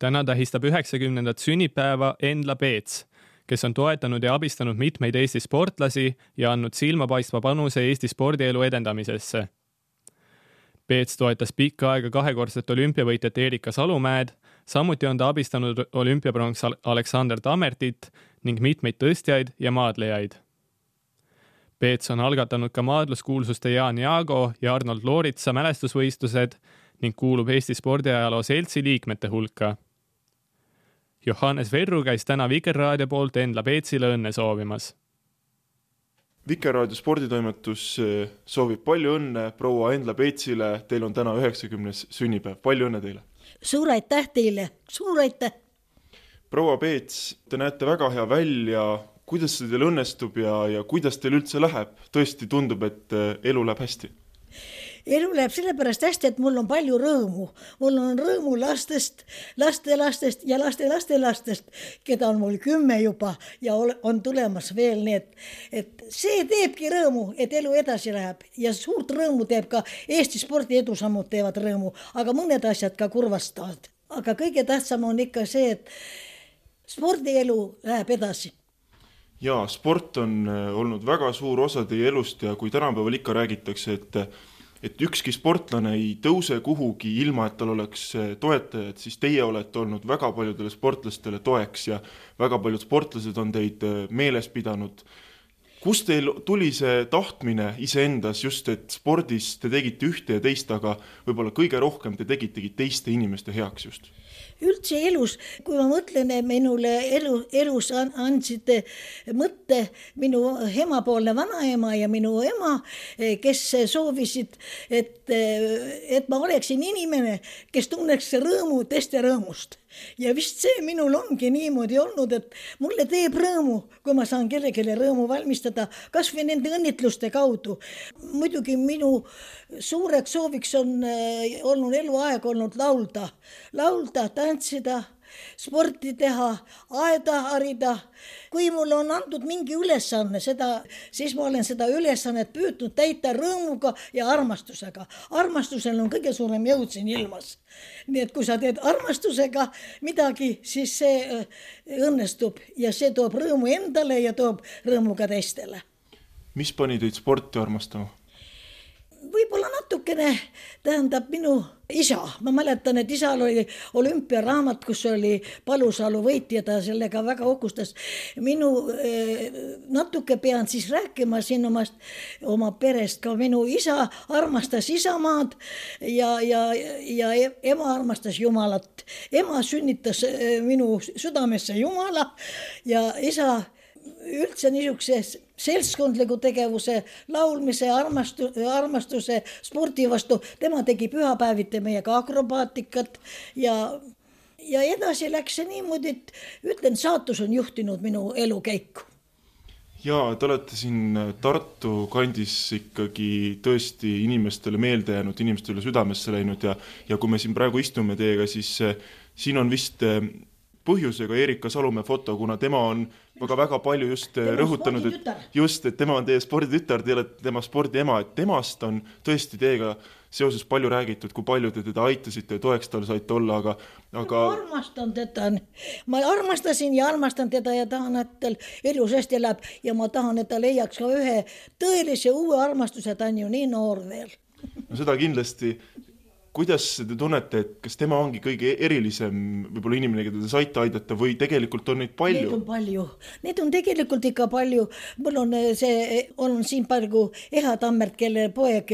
Täna tähistab 90. sünnipäeva Endla Peets, kes on toetanud ja abistanud mitmeid Eesti sportlasi ja andnud silmapaistva panuse Eesti spordielu edendamisesse. Peets toetas pikka aega kahekordset olümpiavõitjat Erika Salumäed, samuti on ta abistanud olümpiapronks Aleksander Tammertit ning mitmeid tõstjaid ja maadlejaid. Peets on algatanud ka maadluskuulsuste Jaan Jaago ja Arnold Looritsa mälestusvõistlused ning kuulub Eesti spordiajaloo seltsi liikmete hulka. Johannes Verru käis täna Vikerraadio poolt Endla Peetsile õnne soovimas. Vikerraadio sporditoimetus soovib palju õnne proua Endla Peetsile. Teil on täna 90. sünnipäev. Palju õnne teile! Suur aitäh teile! Suur aitäh! Proua Peets, te näete väga hea välja. Kuidas see teil õnnestub ja kuidas teil üldse läheb? Tõesti tundub, et elu läheb hästi. Elu läheb sellepärast hästi, et mul on palju rõõmu. Mul on rõõmu lastest, lastelastest ja lastelastelastest, keda on mul 10 juba ja on tulemas veel need. Et see teebki rõõmu, et elu edasi läheb ja suurt rõõmu teeb ka Eesti spordi edusammud teevad rõõmu, aga mõned asjad ka kurvastavad. Aga kõige tähtsam on ikka see, et spordielu läheb edasi. Jaa, sport on olnud väga suur osa teie elust ja kui tänapäeval ikka räägitakse, et ükski sportlane ei tõuse kuhugi ilma, et tal oleks toetajad, siis teie olete olnud väga paljudele sportlastele toeks ja väga paljud sportlased on teid meeles pidanud. Kust teil tuli see tahtmine iseendas just, et spordis te tegite ühte ja teist, aga võib-olla kõige rohkem te tegitegi teiste inimeste heaks just? Üldse elus, kui ma mõtlen, minule elus andsid mõtte minu emapoolne vanaema ja minu ema, kes soovisid, et ma oleksin inimene, kes tunneks rõõmu teiste rõõmust. Ja vist see minul ongi niimoodi olnud, et mulle teeb rõõmu, kui ma saan kellelegi rõõmu valmistada, kas või nende õnnitluste kaudu. Muidugi minu suureks sooviks on olnud eluaeg olnud laulda, tantsida, sporti teha, aeda harida. Kui mul on antud mingi ülesanne, siis ma olen seda ülesannet püüdnud täita rõõmuga ja armastusega. Armastusel on kõige suurem jõud siin ilmas. Nii et kui sa teed armastusega midagi, siis see õnnestub ja see toob rõõmu endale ja toob rõõmu ka teistele. Mis pani teid sporti armastama? Võib-olla natukene tähendab minu isa. Ma mäletan, et isal oli olümpiaraamat, kus oli Palusalu võitja, ta sellega väga uhkustas. Natuke pean siis rääkima siin oma perest. Ka minu isa armastas isamaad ja ema armastas Jumalat. Ema sünnitas minu südamesse Jumala ja isa üldse niisuguse seltskondliku tegevuse, laulmise, armastuse, spordi vastu. Tema tegi pühapäeviti meiega akrobaatikat ja edasi läks see niimoodi, et ütlen, saatus on juhtinud minu elukäiku. Jaa, te olete siin Tartu kandis ikkagi tõesti inimestele meelde jäänud, inimestele südamesse läinud ja kui me siin praegu istume teiega, siis siin on vist põhjusega Erika Salumäe foto, kuna tema on väga palju just rõhutanud, et tema on teie sporditütar, te olete tema spordiema, et temast on tõesti teiega seoses palju räägitud, kui palju te teda aitasite ja toeks tal saite olla, aga... Ma armastan teda. Ma armastasin ja armastan teda ja tahan, et tal elus hästi elab ja ma tahan, et ta leiaks ka ühe tõelise uue armastuse, ta on ju nii noor veel. No seda kindlasti... Kuidas te tunnete, et kas tema ongi kõige erilisem võib-olla inimene, keda te saite aidata või tegelikult on neid palju? Neid on palju. Neid on tegelikult ikka palju. Mul on siin praegu Eha Tammert, kelle poeg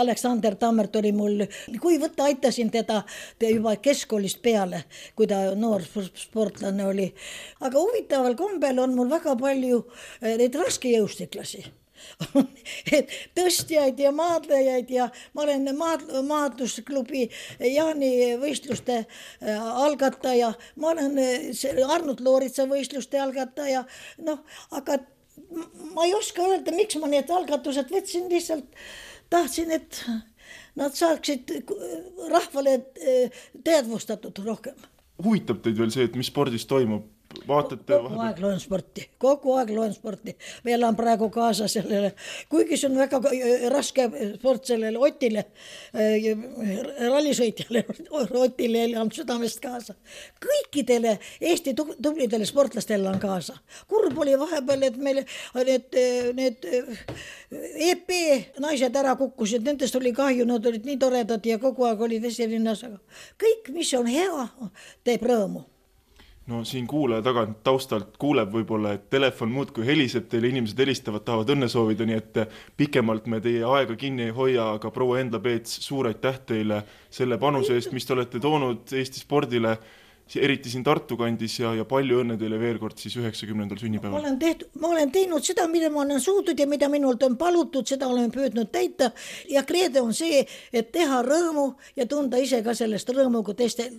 Aleksander Tammert oli mul. Kui võtta, aitasin teda juba keskkoolist peale, kui ta noor sportlane oli. Aga huvitaval kombel on mul väga palju neid raske jõustiklasi. Tõstjaid ja maadlejaid ja ma olen maadlusklubi Jaani võistluste algataja, ma olen Arnold Looritsa võistluste algataja, aga ma ei oska öelda, miks ma need algatused võtsin, lihtsalt tahtsin, et nad saaksid rahvale teadvustatud rohkem. Huvitab teid veel see, et mis spordis toimub vaatate kogu aeg loen sporti. Meil on praegu kaasa sellele, kuigi see on väga raske sport sellele Otile, rallisõitjale Otile on südamest kaasa. Kõikidele Eesti tublidele sportlastele on kaasa. Kurb oli vahepeal, et meil need EP naised ära kukkusid, nendest oli kahju, nad olid nii toredad ja kogu aeg olid esirinnas, aga kõik, mis on hea, teeb rõõmu. No siin kuulaja tagant taustalt kuuleb võib-olla, et telefon muudkui heliseb, teile inimesed helistavad, tahavad õnne soovida, nii et pikemalt me teie aega kinni ei hoia, aga proua Endla Peets, suur aitäh teile selle panuse eest, mis te olete toonud Eesti spordile, eriti siin Tartu kandis ja palju õnne teile veel kord siis 90. sünnipäeval. Ma olen teinud seda, mida ma olen suutnud ja mida minult on palutud, seda olen püüdnud täita ja kreede on see, et teha rõõmu ja tunda ise ka sellest rõõmu, kui teistel